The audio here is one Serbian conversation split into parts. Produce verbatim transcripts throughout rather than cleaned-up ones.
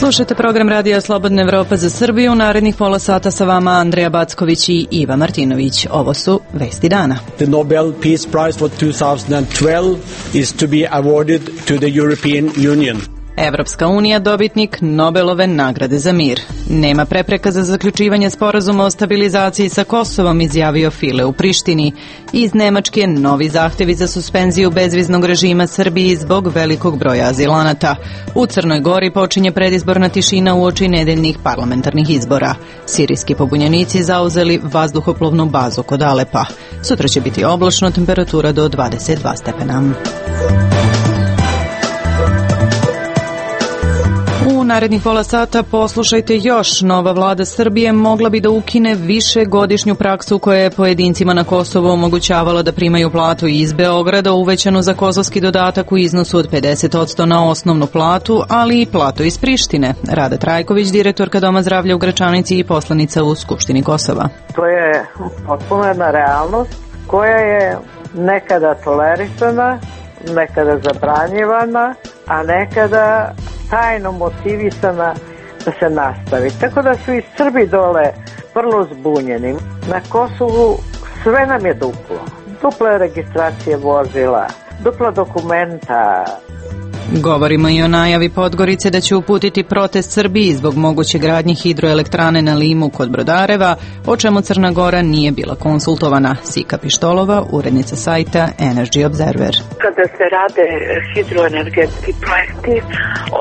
Slušajte program Radija Slobodna Evropa za Srbiju. Narednih pola sata sa vama Andreja Backović i Iva Martinović. Ovo su vesti dana. The Nobel Peace Prize for two thousand twelve is to be awarded to the European Union. Evropska unija dobitnik Nobelove nagrade za mir. Nema prepreka za zaključivanje sporazuma o stabilizaciji sa Kosovom, izjavio File u Prištini. Iz Nemačke novi zahtevi za suspenziju bezviznog režima Srbiji zbog velikog broja azilanata. U Crnoj Gori počinje predizborna tišina uoči nedeljnih parlamentarnih izbora. Sirijski pobunjenici zauzeli vazduhoplovnu bazu kod Alepa. Sutra će biti oblačno, temperatura do dvadeset dva stepena. U narednih pola sata poslušajte još. Nova vlada Srbije mogla bi da ukine višegodišnju praksu koja je pojedincima na Kosovu omogućavala da primaju platu iz Beograda, uvećanu za kosovski dodatak u iznosu od pedeset posto na osnovnu platu, ali i platu iz Prištine. Rada Trajković, direktorka Doma zdravlja u Gračanici i poslanica u Skupštini Kosova. To je potpuno jedna realnost koja je nekada tolerisana, nekada zabranjivana, a nekada tajno motivisana da se nastavi. Tako da su i Srbi dole vrlo zbunjeni. Na Kosovu sve nam je duplo. Dupla registracije vozila, dupla dokumenta. Govorimo i o najavi Podgorice da će uputiti protest Srbiji zbog moguće gradnje hidroelektrane na Limu kod Brodareva, o čemu Crna Gora nije bila konsultovana. Sika Pištolova, urednica sajta Energy Observer. Kada se rade hidroenergetski projekti,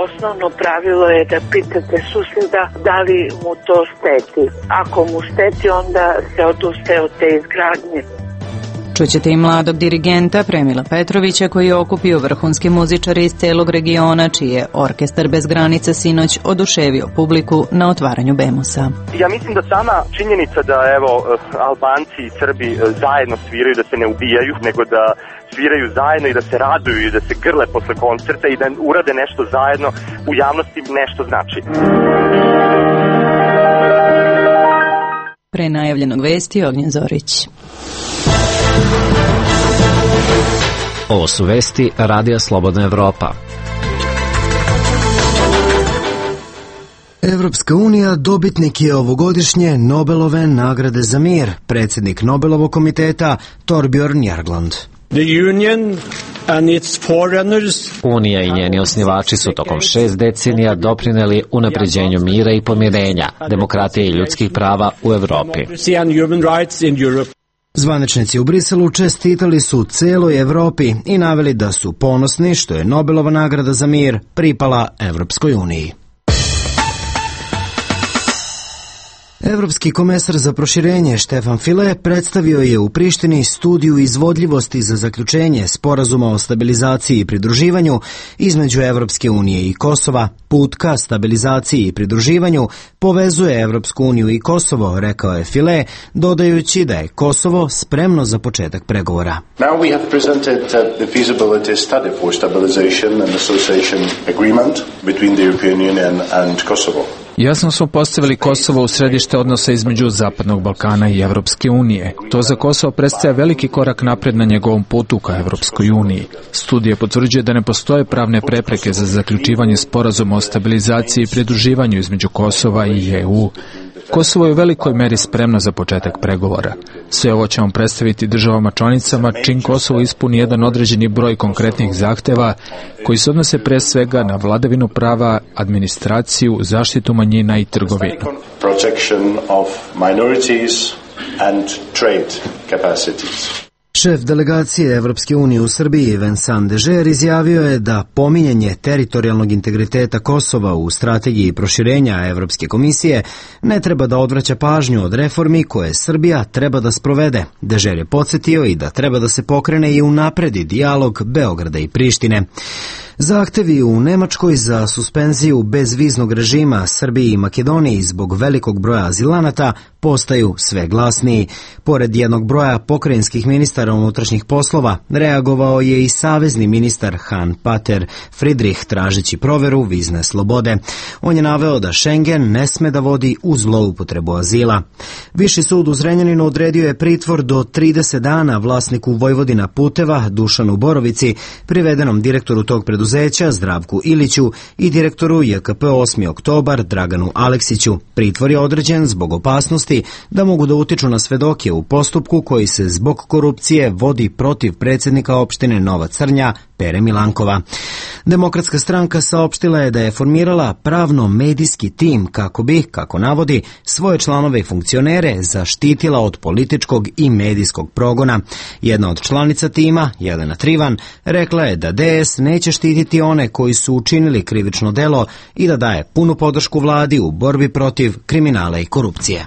osnovno pravilo je da pitate susjeda da li mu to šteti. Ako mu šteti, onda se odustaje od te izgradnje. Čućete i mladog dirigenta Premila Petrovića koji je okupio vrhunske muzičare iz celog regiona, čiji je Orkestar bez granica sinoć oduševio publiku na otvaranju Bemusa. Ja mislim da sama činjenica da evo Albanci i Srbi zajedno sviraju, da se ne ubijaju, nego da sviraju zajedno i da se raduju i da se grle posle koncerta i da urade nešto zajedno, u javnosti nešto znači. Pre najavljenog vesti Ognjen Zorić. Ovo su vesti Radija Slobodna Evropa. Evropska unija dobitnik je ovogodišnje Nobelove nagrade za mir, predsjednik Nobelovog komiteta Torbjörn Jagland. The Union and its forerunners. Unija i njeni osnivači su tokom šest decenija doprineli unapređenju mira i pomirenja, demokratije i ljudskih prava u Evropi. Zvaničnici u Briselu čestitali su celoj Evropi i naveli da su ponosni što je Nobelova nagrada za mir pripala Evropskoj uniji. Evropski komesar za proširenje Štefan File predstavio je u Prištini studiju izvodljivosti za zaključenje sporazuma o stabilizaciji i pridruživanju između Evropske unije i Kosova. Put ka stabilizaciji i pridruživanju povezuje Evropsku uniju i Kosovo, rekao je File, dodajući da je Kosovo spremno za početak pregovora. Now we have presented the feasibility study for stabilization and association agreement between the European Union and Kosovo. Jasno smo postavili Kosovo u središte odnosa između Zapadnog Balkana i Evropske unije. To za Kosovo predstavlja veliki korak napred na njegovom putu ka Evropskoj uniji. Studija potvrđuje da ne postoje pravne prepreke za zaključivanje sporazuma o stabilizaciji i pridruživanju između Kosova i E U. Kosovo je u velikoj meri spremno za početak pregovora. Sve ovo ćemo predstaviti državama članicama čim Kosovo ispuni jedan određeni broj konkretnih zahteva koji se odnose pre svega na vladavinu prava, administraciju, zaštitu manjina i trgovinu. Protection of minorities and trade capacities. Šef delegacije Evropske unije u Srbiji Vincent Dežer izjavio je da pominjanje teritorijalnog integriteta Kosova u strategiji proširenja Evropske komisije ne treba da odvraća pažnju od reformi koje Srbija treba da sprovede. Dežer je podsjetio i da treba da se pokrene i unapredi dijalog Beograda i Prištine. Zahtevi u Nemačkoj za suspenziju bezviznog režima Srbiji i Makedoniji zbog velikog broja azilanata postaju sve glasniji. Pored jednog broja pokrajinskih ministara unutrašnjih poslova, reagovao je i savezni ministar Hans-Peter Friedrich tražeći proveru vizne slobode. On je naveo da Schengen ne sme da vodi u zloupotrebu azila. Viši sud u Zrenjaninu odredio je pritvor do trideset dana vlasniku Vojvodina puteva Dušanu Borovici, privedenom direktoru tog preduzeća Zdravku Iliću i direktoru J K P osmi oktobar Draganu Aleksiću. Pritvor je određen zbog opasnosti da mogu da utiču na svedoke u postupku koji se zbog korupcije vodi protiv predsjednika opštine Nova Crnja Pere Milankova. Demokratska stranka saopštila je da je formirala pravno-medijski tim kako bi, kako navodi, svoje članove i funkcionere zaštitila od političkog i medijskog progona. Jedna od članica tima, Jelena Trivan, rekla je da D S neće štititi one koji su učinili krivično delo i da daje punu podršku vladi u borbi protiv kriminala i korupcije.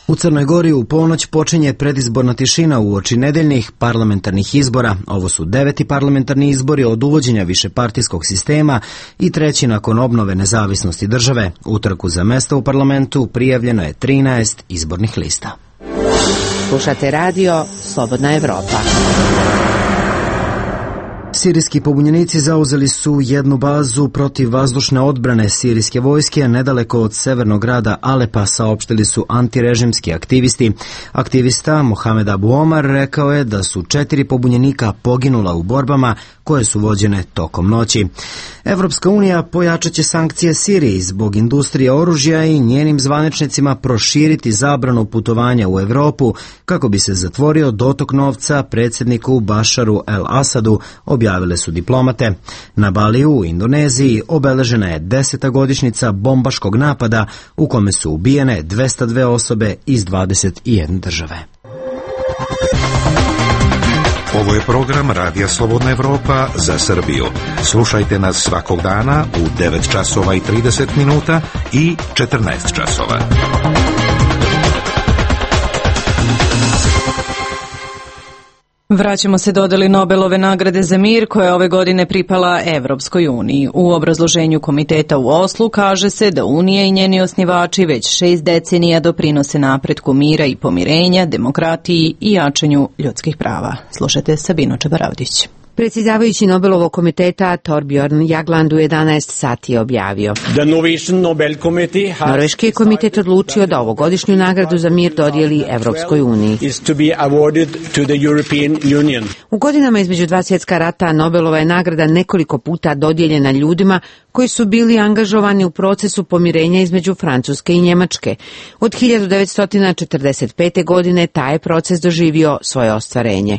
U Crnoj Gori u ponoć počinje predizborna tišina uoči nedeljnih parlamentarnih izbora. Ovo su deveti parlamentarni izbori od uvođenja višepartijskog sistema i treći nakon obnove nezavisnosti države. U trku za mesta u parlamentu prijavljeno je trinaest izbornih lista. Slušate radio Slobodna Evropa. Sirijski pobunjenici zauzeli su jednu bazu protiv vazdušne odbrane sirijske vojske nedaleko od severnog grada Alepa, saopštili su antirežimski aktivisti. Aktivista Mohamed Abu Omar rekao je da su četiri pobunjenika poginula u borbama koje su vođene tokom noći. Evropska unija pojačat će sankcije Siriji zbog industrije oružja i njenim zvaničnicima proširiti zabranu putovanja u Evropu kako bi se zatvorio dotok novca predsjedniku Bašaru el-Asadu, objavile su diplomate. Na Baliju u Indoneziji obeležena je deseta godišnjica bombaškog napada u kome su ubijene dvesta dve osobe iz dvadeset jedne države. Ovo je program Radija Slobodna Evropa za Srbiju. Slušajte nas svakog dana u devet časova i trideset minuta i četrnaest časova. Vraćamo se dodeli Nobelove nagrade za mir koja je ove godine pripala Evropskoj uniji. U obrazloženju komiteta u Oslu kaže se da Unija i njeni osnivači već šest decenija doprinose napretku mira i pomirenja, demokratiji i jačanju ljudskih prava. Slušajte Sabinu Čebaravdić. Predsjedavajući Nobelovog komiteta Torbjorn Jagland u jedanaest sati je objavio. Norveški je komitet odlučio da ovogodišnju nagradu za mir dodijeli Evropskoj uniji. U godinama između dva svjetska rata Nobelova je nagrada nekoliko puta dodijeljena ljudima koji su bili angažovani u procesu pomirenja između Francuske i Njemačke. Od hiljadu devetsto četrdeset pete. godine taj je proces doživio svoje ostvarenje.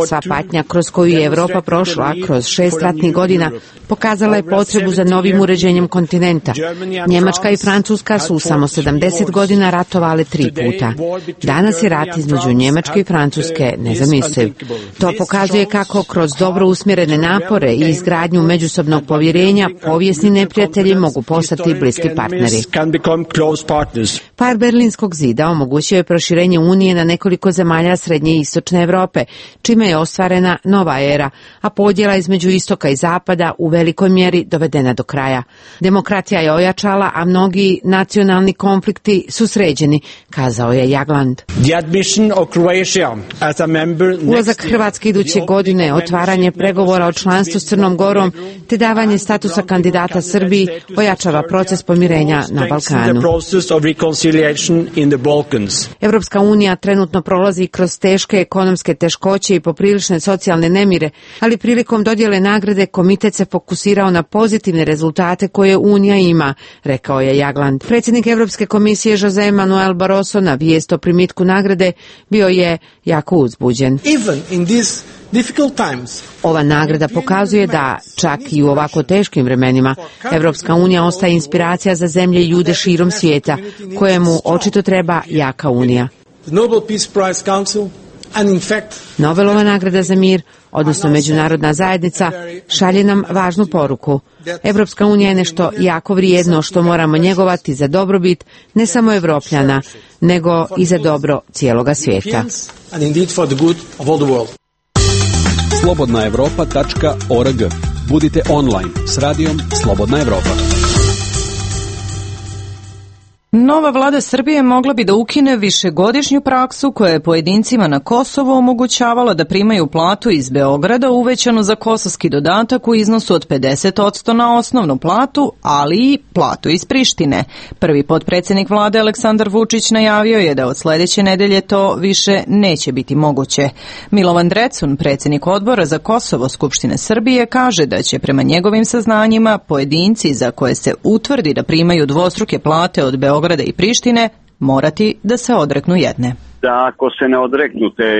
Sva patnja kroz koju je Evropa prošla kroz šest ratnih godina pokazala je potrebu za novim uređenjem kontinenta. Njemačka i Francuska su samo sedamdeset godina ratovale tri puta. Danas je rat između Njemačke i Francuske nezamisliv. To pokazuje kako kroz dobro usmjerene napore i izgradnju međusobnog povjerenja povijesni neprijatelji mogu postati bliski partneri. Pad Berlinskog zida omogućio je proširenje Unije na nekoliko zemalja srednje i istočne Evrope, čime je ostvarena nova era, a podjela između istoka i zapada u velikoj mjeri dovedena do kraja. Demokratija je ojačala, a mnogi nacionalni konflikti su sređeni, kazao je Jagland. Ulazak Hrvatske iduće godine, otvaranje pregovora o članstvu s Crnom Gorom te davanje statusa kandidata Srbiji ojačava proces pomirenja na Balkanu. Evropska unija trenutno prolazi kroz teške ekonomske teškoće i poprilične socijalne nemire, ali prilikom dodjele nagrade komitet se fokusirao na pozitivne rezultate koje Unija ima, rekao je Jagland. Predsjednik Evropske komisije Jose Manuel Barroso na vijest o primitku nagrade bio je jako uzbuđen. Ova nagrada pokazuje da čak i u ovako teškim vremenima Evropska unija ostaje inspiracija za zemlje i ljude širom svijeta, kojemu očito treba jaka unija. Nobelova nagrada za mir, odnosno međunarodna zajednica, šalje nam važnu poruku. Evropska unija je nešto jako vrijedno što moramo njegovati za dobrobit ne samo Evropljana, nego i za dobro cijeloga svijeta. slobodna evropa tačka org. Budite online s radijom Slobodna Evropa. Nova vlada Srbije mogla bi da ukine višegodišnju praksu koja je pojedincima na Kosovu omogućavala da primaju platu iz Beograda uvećanu za kosovski dodatak u iznosu od pedeset posto na osnovnu platu, ali i platu iz Prištine. Prvi potpredsednik vlade Aleksandar Vučić najavio je da od sledeće nedelje to više neće biti moguće. Milovan Drecun, predsednik odbora za Kosovo Skupštine Srbije, kaže da će prema njegovim saznanjima pojedinci za koje se utvrdi da primaju dvostruke plate od Beograda Beograda i Prištine morati da se odreknu jedne. Da ako se ne odreknu te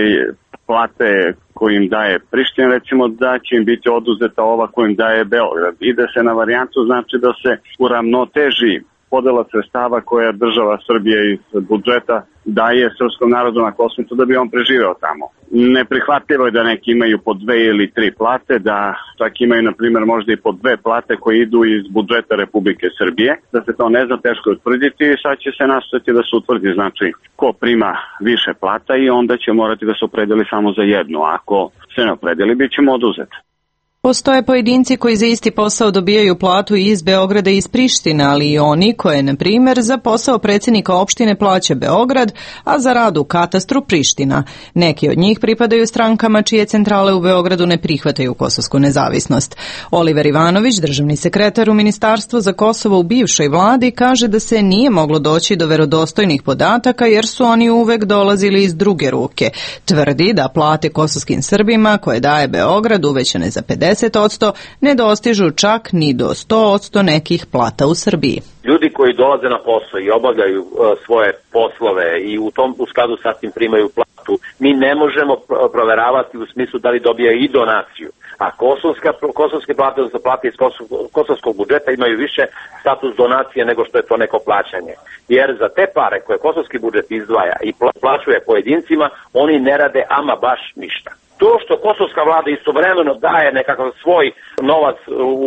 plate koju im daje Priština, recimo da će im biti oduzeta ova koju im daje Beograd. Ide se na varijantu, znači da se uravnoteži podela sredstava koja država Srbije iz budžeta daje srpskom narodu na Kosovu da bi on preživeo tamo. Neprihvatljivo je da neki imaju po dve ili tri plate, da čak imaju, na primjer, možda i po dve plate koje idu iz budžeta Republike Srbije, da se to ne zna, teško je utvrditi i sad će se nastaviti da se utvrdi, znači, ko prima više plata i onda će morati da se opredeli samo za jednu. Ako se ne opredeli, bit ćemo oduzeti. Postoje pojedinci koji za isti posao dobijaju platu i iz Beograda i iz Prištine, ali i oni koje, na primjer, za posao predsjednika opštine plaća Beograd, a za rad u katastru Priština. Neki od njih pripadaju strankama čije centrale u Beogradu ne prihvataju kosovsku nezavisnost. Oliver Ivanović, državni sekretar u Ministarstvu za Kosovo u bivšoj vladi, kaže da se nije moglo doći do verodostojnih podataka jer su oni uvek dolazili iz druge ruke. Tvrdi da plate kosovskim Srbima koje daje Beograd uvećane za pedeset posto ne dostižu čak ni do sto posto nekih plata u Srbiji. Ljudi koji dolaze na posao i obavljaju uh, svoje poslove i u tom u skladu sa tim primaju platu, mi ne možemo proveravati u smislu da li dobijaju i donaciju. A kosovska, kosovske plate, odnosno plate iz kosov, kosovskog budžeta imaju više status donacije nego što je to neko plaćanje. Jer za te pare koje kosovski budžet izdvaja i plaćuje pojedincima, oni ne rade ama baš ništa. To što kosovska vlada istovremeno daje nekakav svoj novac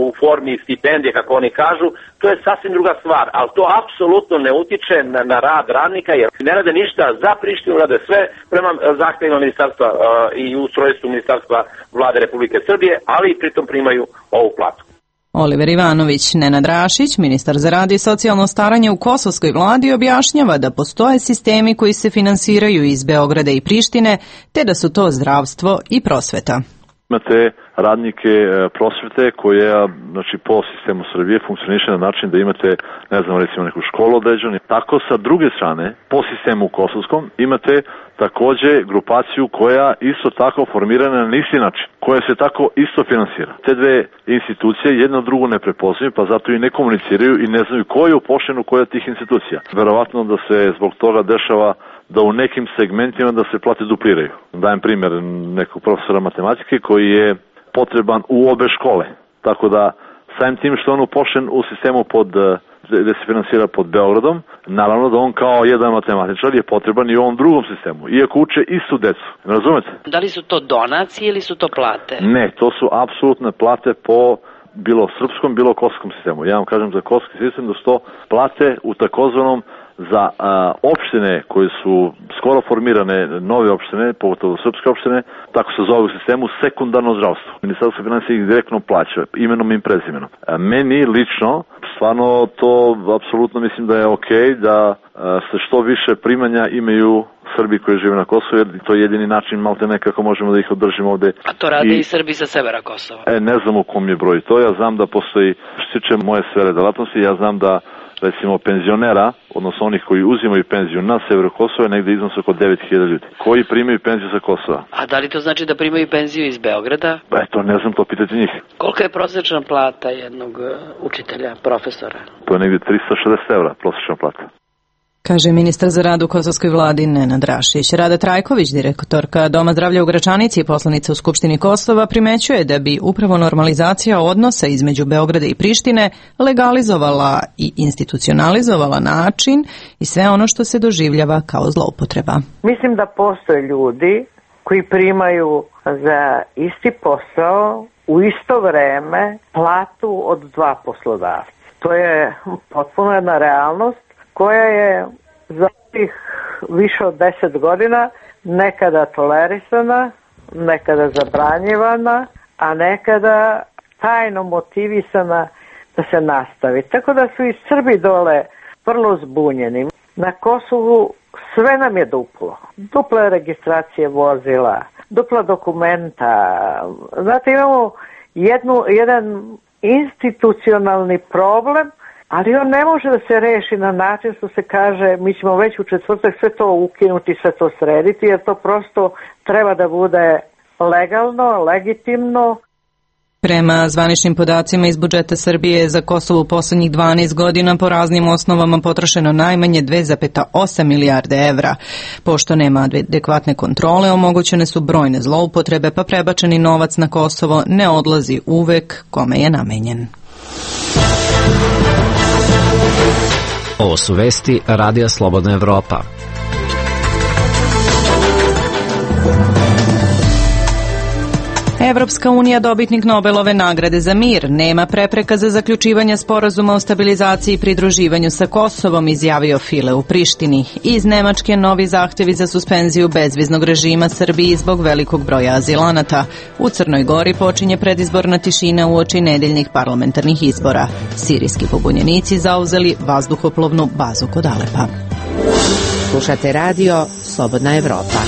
u formi stipendije, kako oni kažu, to je sasvim druga stvar, ali to apsolutno ne utiče na, na rad radnika, jer ne rade ništa za Prištinu, rade sve prema zahtevima ministarstva uh, i ustrojstvu ministarstva vlade Republike Srbije, ali i pritom primaju ovu platu. Oliver Ivanović. Nenad Rašić, ministar za rad i socijalno staranje u kosovskoj vladi, objašnjava da postoje sistemi koji se finansiraju iz Beograda i Prištine, te da su to zdravstvo i prosveta. Imate radnike prosvete koje, znači, po sistemu Srbije funkcioniše na način da imate, ne znam, recimo neku školu određenu. Tako sa druge strane, po sistemu kosovskom, imate takođe grupaciju koja isto tako formirana na isti način, koja se tako isto finansira. Te dve institucije jedno drugo ne prepoznaju, pa zato i ne komuniciraju i ne znaju ko je upošljen u koja tih institucija. Verovatno da se zbog toga dešava da u nekim segmentima da se plate dupliraju. Dajem primjer nekog profesora matematike koji je potreban u obe škole. Tako da, samim tim što on upošljen u sistemu pod, gde se finansira pod Beogradom, naravno da on kao jedan matematičar je potreban i u ovom drugom sistemu, iako uče istu decu. Razumete? Da li su to donacije ili su to plate? Ne, to su apsolutne plate po bilo srpskom, bilo kosovskom sistemu. Ja vam kažem za kosovski sistem da su to plate u takozvanom za a, opštine koje su skoro formirane, nove opštine, pogotovo srpske opštine, tako se zove u sistemu sekundarno zdravstvo. Ministarstvo financija ih direktno plaća, imenom i prezimenom. A, meni lično, stvarno to apsolutno mislim da je okej, da a, se što više primanja imaju Srbi koji žive na Kosovu, jer to je jedini način malte nekako možemo da ih održimo ovde. A to rade i, i Srbi sa severa Kosova? E, ne znam u kom je broj to, ja znam da postoji, što se tiče moje sfere delatnosti, ja znam da recimo penzionera, odnosno onih koji uzimaju penziju na severu Kosova, negde iznos oko devet hiljada ljudi, koji primaju penziju sa Kosova. A da li to znači da primaju penziju iz Beograda? E, to ne znam, to pitati njih. Kolika je prosječna plata jednog učitelja, profesora? To je negde trista šezdeset evra prosječna plata. Kaže ministar za rad u kosovskoj vladi Nenad Rašić. Rada Trajković, direktorka Doma zdravlja u Gračanici i poslanica u Skupštini Kosova, primećuje da bi upravo normalizacija odnosa između Beograda i Prištine legalizovala i institucionalizovala način i sve ono što se doživljava kao zloupotreba. Mislim da postoje ljudi koji primaju za isti posao u isto vreme platu od dva poslodavca. To je potpuno jedna realnost koja je za tih više od deset godina nekada tolerisana, nekada zabranjivana, a nekada tajno motivisana da se nastavi. Tako da su i Srbi dole vrlo zbunjeni. Na Kosovu sve nam je duplo. Dupla registracije vozila, dupla dokumenta. Znate, imamo jednu, jedan institucionalni problem, ali on ne može da se reši na način što se kaže mi ćemo već u četvrtak sve to ukinuti, sve to srediti, jer to prosto treba da bude legalno, legitimno. Prema zvaničnim podacima iz budžeta Srbije za Kosovo u poslednjih dvanaest godina po raznim osnovama potrošeno najmanje dve zarez osam milijarde evra. Pošto nema adekvatne kontrole, omogućene su brojne zloupotrebe, pa prebačeni novac na Kosovo ne odlazi uvek kome je namenjen. Ovo su vesti Radija Slobodna Evropa. Evropska unija dobitnik Nobelove nagrade za mir. Nema prepreka za zaključivanje sporazuma o stabilizaciji i pridruživanju sa Kosovom, izjavio File u Prištini. Iz Nemačke novi zahtevi za suspenziju bezviznog režima Srbiji zbog velikog broja azilanata. U Crnoj Gori počinje predizborna tišina uoči nedeljnih parlamentarnih izbora. Sirijski pobunjenici zauzeli vazduhoplovnu bazu kod Alepa. Slušate radio Slobodna Evropa.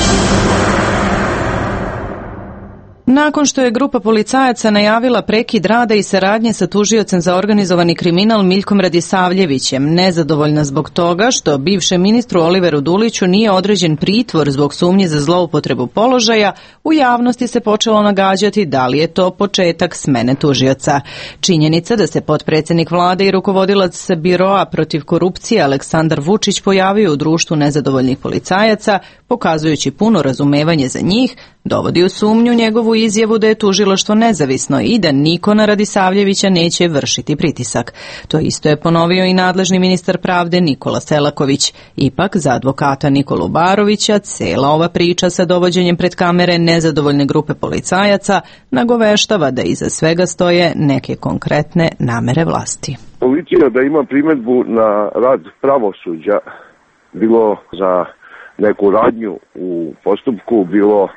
Nakon što je grupa policajaca najavila prekid rada i saradnje sa tužiocem za organizovani kriminal Miljkom Radisavljevićem, nezadovoljna zbog toga što bivšem ministru Oliveru Duliću nije određen pritvor zbog sumnje za zloupotrebu položaja, u javnosti se počelo nagađati da li je to početak smene tužioca. Činjenica da se potpredsednik vlade i rukovodilac biroa protiv korupcije Aleksandar Vučić pojavio u društvu nezadovoljnih policajaca, pokazujući puno razumevanje za njih, dovodi u sumnju njegovu izjavu da je tužilaštvo nezavisno i da niko na Radisavljevića neće vršiti pritisak. To isto je ponovio i nadležni ministar pravde Nikola Selaković. Ipak, za advokata Nikolu Barovića, cela ova priča sa dovođenjem pred kamere nezadovoljne grupe policajaca nagoveštava da iza svega stoje neke konkretne namere vlasti. Policija da ima primedbu na rad pravosuđa, bilo za neku radnju u postupku, bilo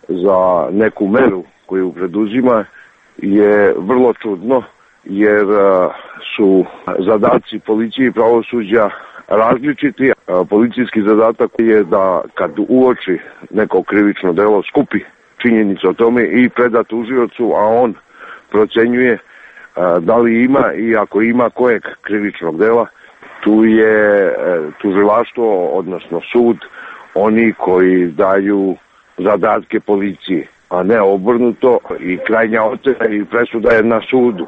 za neku meru koju preduzima, je vrlo čudno, jer su zadaci policije i pravosuđa različiti. Policijski zadatak je da kad uoči neko krivično delo skupi činjenice o tome i preda tužiocu, a on procenjuje da li ima i ako ima kojeg krivičnog dela. Tu je tužilaštvo, odnosno sud, oni koji daju zadatke policiji, a ne obrnuto, i krajnja ocena i presuda je na sudu.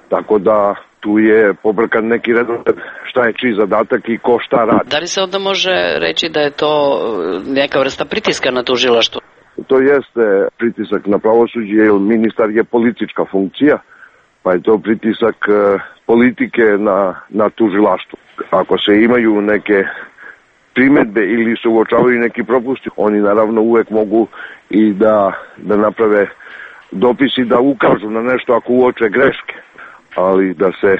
Tako da tu je pobrkan neki redosled šta je čiji zadatak i ko šta radi. Da li se onda može reći da je to neka vrsta pritiska na tužilaštvo? To jeste pritisak na pravosuđe, jer ministar je politička funkcija, pa je to pritisak politike na, na tužilaštvo. Ako se imaju neke primedbe ili se uočavaju neki propusti, oni naravno uvek mogu i da, da naprave dopisi, da ukažu na nešto ako uoče greške, ali da se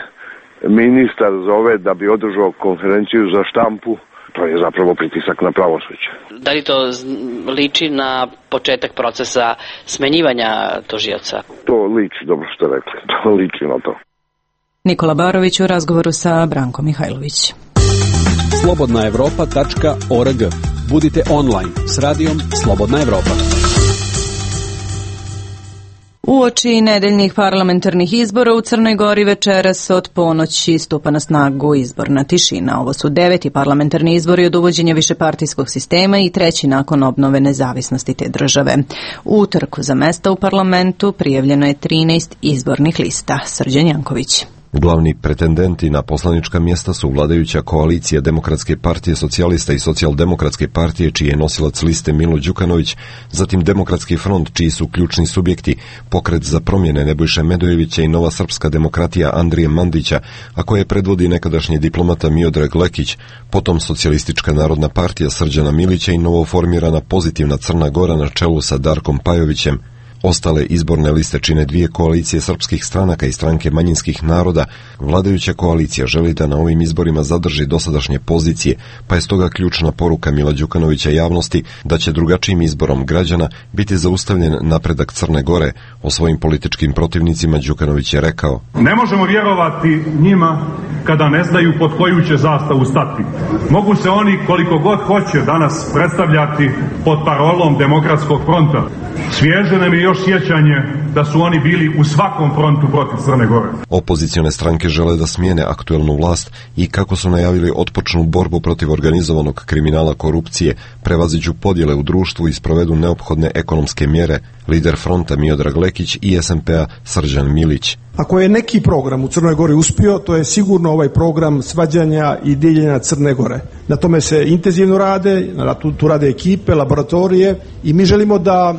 ministar zove da bi održao konferenciju za štampu, to je zapravo pritisak na pravosuđe. Da li to liči na početak procesa smenjivanja tužioca? To liči, dobro što rekli, to liči na to. Nikola Barović u razgovoru sa Brankom Mihajlović. slobodna evropa tačka org. Budite online s radijom Slobodna Evropa. Uoči nedeljnih parlamentarnih izbora u Crnoj Gori večeras od ponoći stupa na snagu izborna tišina. Ovo su deveti parlamentarni izbori od uvođenja višepartijskog sistema i treći nakon obnove nezavisnosti te države. U utorku za mesta u parlamentu prijavljeno je trinaest izbornih lista. Srđan Janković. Glavni pretendenti na poslanička mjesta su vladajuća koalicija Demokratske partije socijalista i socijaldemokratske partije, čiji je nosilac liste Milo Đukanović, zatim Demokratski front, čiji su ključni subjekti, Pokret za promjene Nebojše Medojevića i Nova srpska demokratija Andrije Mandića, a koje predvodi nekadašnji diplomata Miodrag Lekić, potom Socijalistička narodna partija Srđana Milića i novoformirana Pozitivna Crna Gora na čelu sa Darkom Pajovićem. Ostale izborne liste čine dvije koalicije srpskih stranaka i stranke manjinskih naroda. Vladajuća koalicija želi da na ovim izborima zadrži dosadašnje pozicije, pa je stoga ključna poruka Mila Đukanovića javnosti da će drugačijim izborom građana biti zaustavljen napredak Crne Gore. O svojim političkim protivnicima Đukanović je rekao: Ne možemo vjerovati njima kada ne znaju pod koju će zastavu stati. Mogu se oni koliko god hoće danas predstavljati pod parolom Demokratskog fronta. Svježe nam je još sjećanje da su oni bili u svakom frontu protiv Crne Gore. Opozicione stranke žele da smijene aktuelnu vlast i, kako su najavili, otpočnu borbu protiv organizovanog kriminala, korupcije, prevaziđu podjele u društvu i sprovedu neophodne ekonomske mjere. Lider fronta Miodrag Lekić i S N P-a Srđan Milić. Ako je neki program u Crnoj Gori uspio, to je sigurno ovaj program svađanja i diljenja Crne Gore. Na tome se intenzivno rade, tu, tu rade ekipe, laboratorije i mi želimo da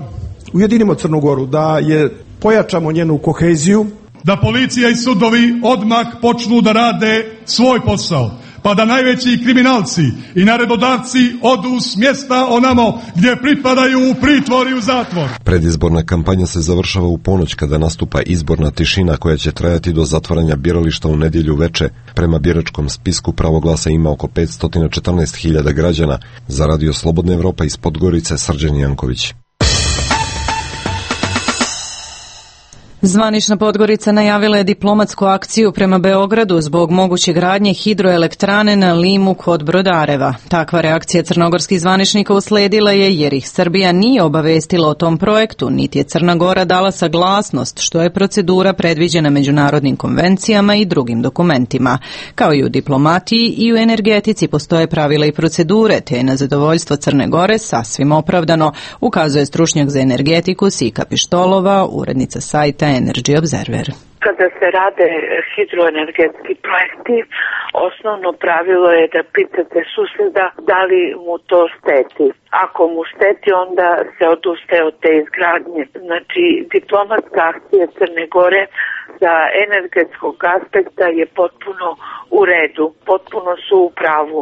ujedinimo Crnu Goru, da je pojačamo njenu koheziju. Da policija i sudovi odmah počnu da rade svoj posao, pa da najveći kriminalci i naredodavci odu s mjesta onamo gdje pripadaju, u pritvor i u zatvor. Predizborna kampanja se završava u ponoć kada nastupa izborna tišina koja će trajati do zatvaranja birališta u nedjelju veče. Prema biračkom spisku pravo glasa ima oko petsto četrnaest hiljada građana. Za Radio Slobodna Evropa iz Podgorice, Srđan Janković. Zvanična Podgorica najavila je diplomatsku akciju prema Beogradu zbog moguće gradnje hidroelektrane na Limu kod Brodareva. Takva reakcija crnogorskih zvaničnika usledila je jer ih Srbija nije obavestila o tom projektu, niti je Crna Gora dala saglasnost, što je procedura predviđena međunarodnim konvencijama i drugim dokumentima. Kao i u diplomatiji i u energetici postoje pravila i procedure, te je na zadovoljstvo Crne Gore sasvim opravdano, ukazuje stručnjak za energetiku Sika Pištolova, urednica sajta Energy Observer. Kada se rade hidroenergetski projekti, osnovno pravilo je da pitate susjeda da li mu to šteti. Ako mu šteti, onda se odustaje od te izgradnje. Znači, diplomatska akcija Crne Gore sa energetskog aspekta je potpuno u redu, potpuno su u pravu.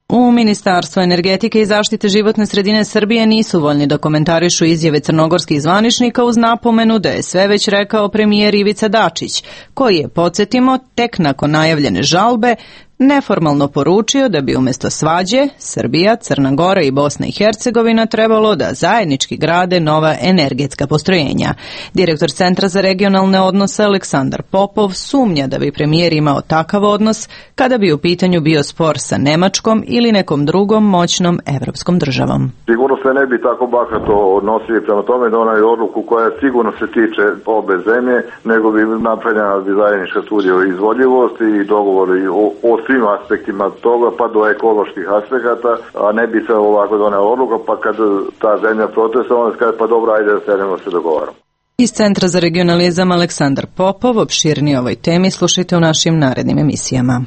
U Ministarstvu energetike i zaštite životne sredine Srbije nisu voljni da komentarišu izjave crnogorskih zvaničnika uz napomenu da je sve već rekao premijer Ivica Dačić, koji je, podsjetimo, tek nakon najavljene žalbe neformalno poručio da bi umjesto svađe Srbija, Crna Gora i Bosna i Hercegovina trebalo da zajednički grade nova energetska postrojenja. Direktor Centra za regionalne odnose Aleksandar Popov sumnja da bi premijer imao takav odnos kada bi u pitanju bio spor sa Nemačkom ili nekom drugom moćnom evropskom državom. Sigurno se ne bi tako bahato odnosili prema tome da onaj odluku koja sigurno se tiče obe zemlje, nego bi napravljena bi zajednička studija o izvodljivosti i dogovori o, o svim aspektima toga, pa do ekoloških aspekata, a ne bi se ovako donela odluka, pa kad ta zemlja protesta, onda se kaže, pa dobro, ajde da sedemo se dogovaramo. Iz Centra za regionalizam Aleksandar Popov, opširnije ovoj temi slušajte u našim narednim emisijama.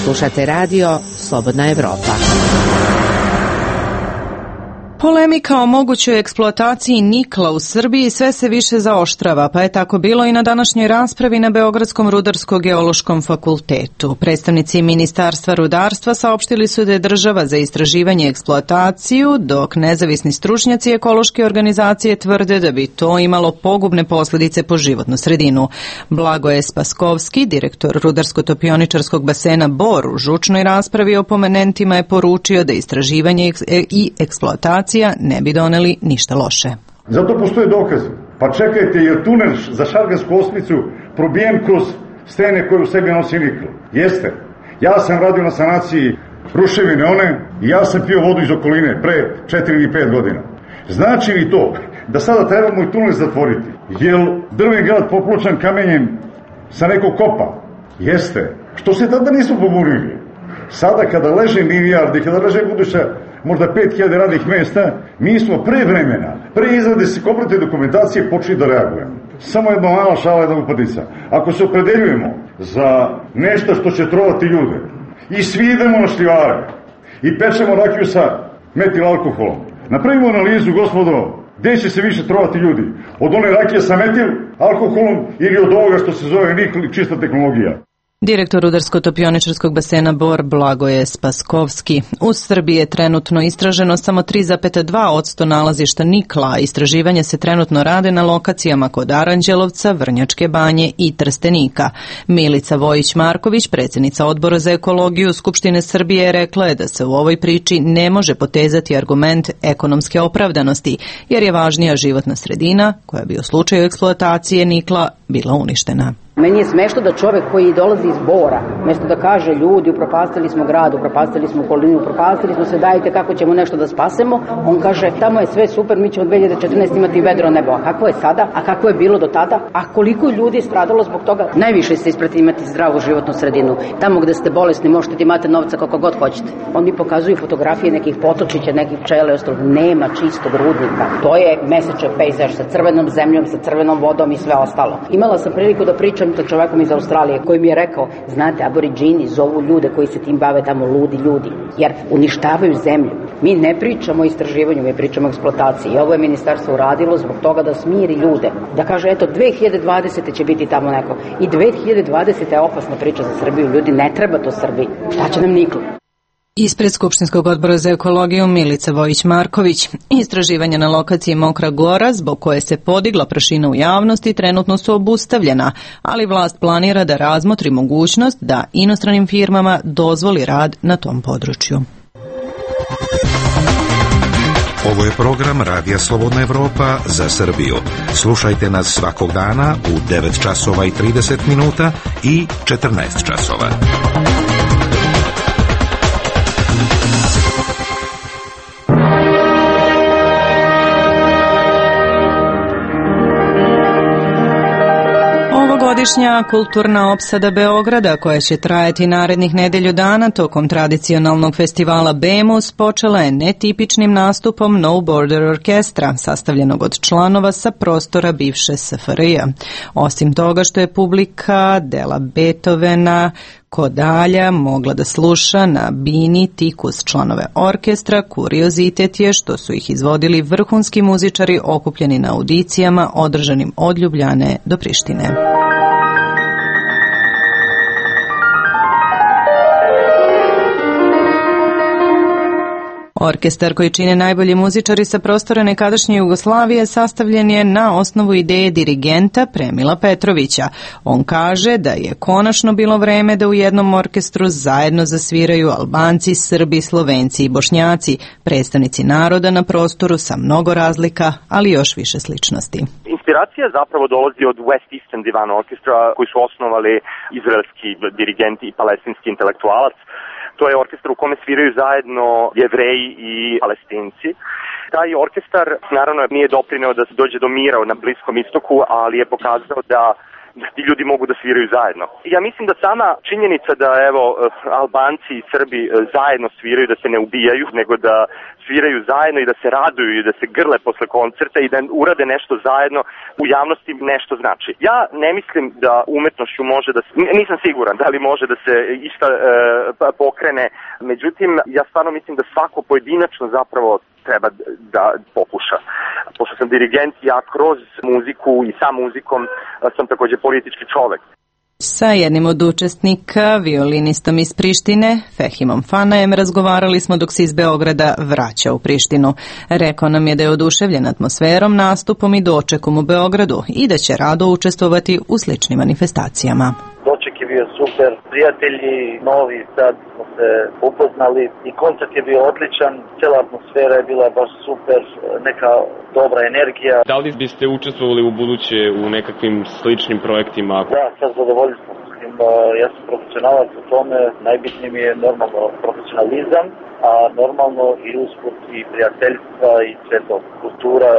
Slušate radio Slobodna Evropa. Polemika o mogućoj eksploataciji nikla u Srbiji sve se više zaoštrava, pa je tako bilo i na današnjoj raspravi na Beogradskom rudarsko-geološkom fakultetu. Predstavnici Ministarstva rudarstva saopštili su da je država za istraživanje i eksploataciju, dok nezavisni stručnjaci ekološke organizacije tvrde da bi to imalo pogubne posljedice po životnu sredinu. Blagoje Spaskovski, direktor rudarsko-topioničarskog basena Bor, u žučnoj raspravi o pomenentima je poručio da istraživanje i eksploatacija ne bi doneli ništa loše. Zato postoje dokazi. Pa čekajte, jer tunel za Šargansku osmicu probijen kroz stene koje u sebi nosi nikl. Jeste. Ja sam radio na sanaciji ruševine one i ja sam pio vodu iz okoline pre četiri ili pet godina. Znači li to da sada trebamo i tunel zatvoriti? Jel drveni grad popločan kamenjem sa nekog kopa? Jeste. Što se tada nismo pobunili? Sada kada leže milijardi, kada leže buduća možda pet hiljada radnih mjesta, mi smo pre vremena, pre izrade se kompletne dokumentacije počeli da reagujemo. Samo jedna mala šala, jedna upadica. Ako se opredeljujemo za nešto što će trovati ljude i svi idemo na šljivare i pečemo rakiju sa metil alkoholom, napravimo analizu, gospodo, gdje će se više trovati ljudi? Od one rakije sa metil alkoholom ili od ovoga što se zove nikl i čista tehnologija? Direktor rudarsko-topioničarskog basena Bor Blagoje Spaskovski. U Srbiji je trenutno istraženo samo tri zarez dva posto nalazišta nikla. Istraživanja se trenutno rade na lokacijama kod Aranđelovca, Vrnjačke banje i Trstenika. Milica Vojić-Marković, predsjednica Odbora za ekologiju Skupštine Srbije, rekla je da se u ovoj priči ne može potezati argument ekonomske opravdanosti, jer je važnija životna sredina koja bi u slučaju eksploatacije nikla bila uništena. Meni je smešno da čovek koji dolazi iz Bora, mesto da kaže ljudi upropastili smo grad, upropastili smo okolinu, upropastili smo se, dajte kako ćemo nešto da spasemo, on kaže tamo je sve super, mi ćemo dve hiljade četrnaeste. imati vedro nebo. A kako je sada? A kako je bilo do tada? A koliko ljudi je stradalo zbog toga? Najviše se isprati imati zdravu životnu sredinu. Tamo gde ste bolesni možete da imate novca kako god hoćete. Oni pokazuju fotografije nekih potočića, nekih pčele, ostalo. Nema čistog rudnika. To je mesečev pejzaž sa crvenom zemljom, sa crvenom vodom i sve ostalo. Imala sam priliku da pričam sa čovekom iz Australije koji mi je rekao, znate, aboriđini zovu ljude koji se tim bave tamo ludi ljudi, jer uništavaju zemlju. Mi ne pričamo o istraživanju, mi pričamo o eksploataciji. I ovo je ministarstvo uradilo zbog toga da smiri ljude. Da kaže, eto, dve hiljade dvadesete. će biti tamo neko. I dve hiljade dvadesete. je opasna priča za Srbiju. Ljudi, ne treba to Srbiji. Šta će nam niklo? Ispred Skupštinskog odbora za ekologiju Milica Vojić-Marković. Istraživanja na lokaciji Mokra Gora, zbog koje se podigla prašina u javnosti, trenutno su obustavljena, ali vlast planira da razmotri mogućnost da inostranim firmama dozvoli rad na tom području. Ovo je program Radija Slobodna Evropa za Srbiju. Slušajte nas svakog dana u devet časova i trideset minuta i četrnaest časova. Ovogodišnja kulturna opsada Beograda, koja će trajati narednih nedelju dana tokom tradicionalnog festivala Bemus, počela je netipičnim nastupom No Border Orkestra, sastavljenog od članova sa prostora bivše S F R J. Osim toga što je publika dela Beethovena, Kodalja mogla da sluša na bini tik uz članove orkestra, kuriozitet je što su ih izvodili vrhunski muzičari okupljeni na audicijama održanim od Ljubljane do Prištine. Orkestar koji čine najbolji muzičari sa prostora nekadašnje Jugoslavije sastavljen je na osnovu ideje dirigenta Premila Petrovića. On kaže da je konačno bilo vreme da u jednom orkestru zajedno zasviraju Albanci, Srbi, Slovenci i Bošnjaci, predstavnici naroda na prostoru sa mnogo razlika, ali još više sličnosti. Inspiracija zapravo dolazi od West Eastern Divan Orkestra koji su osnovali izraelski dirigent i palestinski intelektualac. To je orkestar u kome sviraju zajedno Jevreji i Palestinci. Taj orkestar naravno nije doprineo da se dođe do mira na Bliskom istoku, ali je pokazao da da ti ljudi mogu da sviraju zajedno. Ja mislim da sama činjenica da evo Albanci i Srbi zajedno sviraju, da se ne ubijaju, nego da sviraju zajedno i da se raduju i da se grle posle koncerta i da urade nešto zajedno u javnosti nešto znači. Ja ne mislim da umetnošću može da se, nisam siguran da li može da se išta e, pokrene, međutim ja stvarno mislim da svako pojedinačno zapravo treba da pokuša. Pošto sam dirigent, ja kroz muziku i sa muzikom sam takođe politički čovek. Sa jednim od učesnika, violinistom iz Prištine, Fehimom Fanajem, razgovarali smo dok se iz Beograda vraća u Prištinu. Rekao nam je da je oduševljen atmosferom, nastupom i dočekom u Beogradu i da će rado učestvovati u sličnim manifestacijama. Doček je bio super, prijatelji novi, sad smo se upoznali i koncert je bio odličan, cijela atmosfera je bila baš super, neka dobra energija. Da li biste učestvovali u buduće u nekakvim sličnim projektima? Da, sa zadovoljstvom. Ja sam profesionalac u tome, najbitnije mi je normalno profesionalizam, a normalno i usput i prijateljstva i sve to, kultura,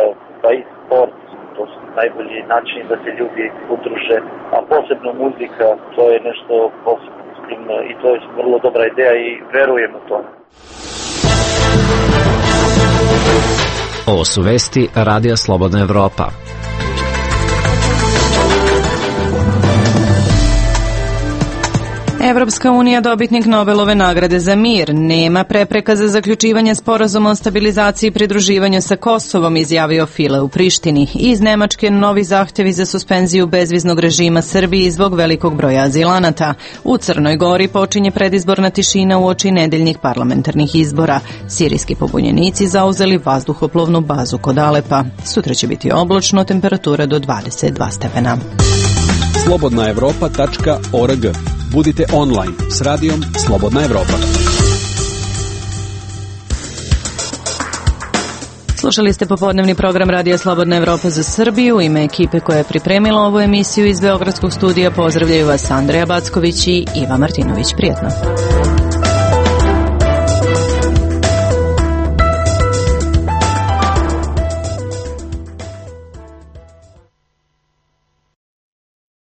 pa i sport. To su najbolji način da se ljudi udruže, a posebno muzika, to je nešto posebno i to je vrlo dobra ideja i verujem u to. Ovo su vesti Radija Slobodna Evropa. Evropska unija, dobitnik Nobelove nagrade za mir, nema prepreka za zaključivanje sporazuma o stabilizaciji i pridruživanju sa Kosovom, izjavio File u Prištini. Iz Nemačke novi zahtevi za suspenziju bezviznog režima Srbiji zbog velikog broja azilanata. U Crnoj Gori počinje predizborna tišina uoči nedeljnih parlamentarnih izbora. Sirijski pobunjenici zauzeli vazduhoplovnu bazu kod Alepa. Sutra će biti oblačno, temperatura do dvadeset dva stepena. slobodna evropa tačka org. Budite online s radijom Slobodna Evropa. Slušali ste popodnevni program Radija Slobodna Evropa za Srbiju. U ime ekipe koja je pripremila ovu emisiju iz Beogradskog studija pozdravljaju vas Andreja Backović i Iva Martinović. Prijetno.